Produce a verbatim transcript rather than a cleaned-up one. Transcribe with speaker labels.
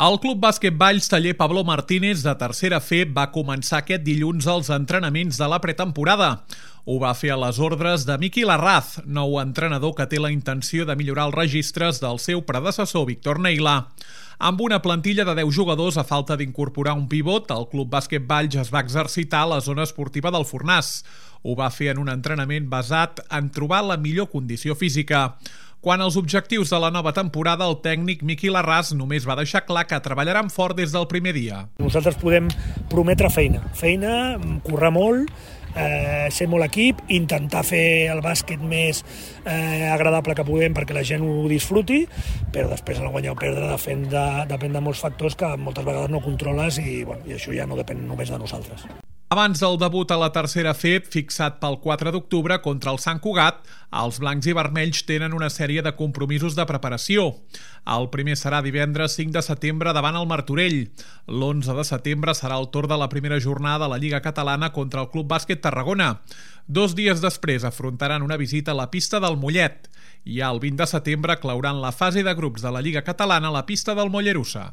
Speaker 1: El Club Bàsquet Valls Taller Pablo Martínez de tercera F va començar aquest dilluns els entrenaments de la pretemporada. Ho va fer a les ordres de Miqui Larraz, nou entrenador que té la intenció de millorar els registres del seu predecessor Víctor Neila. Amb una plantilla de deu jugadors a falta d'incorporar un pivot, el Club Bàsquet Valls es va exercitar a la zona esportiva del Fornàs. Ho va fer en un entrenament basat en trobar la millor condició física. Quant als objectius de la nova temporada, el tècnic Miqui Larraz només va deixar clar que treballaran fort des del primer dia.
Speaker 2: Nosaltres podem prometre feina, feina, currar molt, eh, ser molt equip, intentar fer el bàsquet més eh, agradable que podem perquè la gent ho disfruti, però després el guanyar o perdre depèn de, depèn de molts factors que moltes vegades no controles i, bueno, i això ja no depèn només de nosaltres.
Speaker 1: Abans del debut a la tercera F, fixat pel quatre d'octubre contra el Sant Cugat, els blancs i vermells tenen una sèrie de compromisos de preparació. El primer serà divendres cinc de setembre davant el Martorell. L'onze de setembre serà el torn de la primera jornada de la Lliga Catalana contra el Club Bàsquet Tarragona. Dos dies després afrontaran una visita a la pista del Mollet. I el vint de setembre clauran la fase de grups de la Lliga Catalana a la pista del Mollerussa.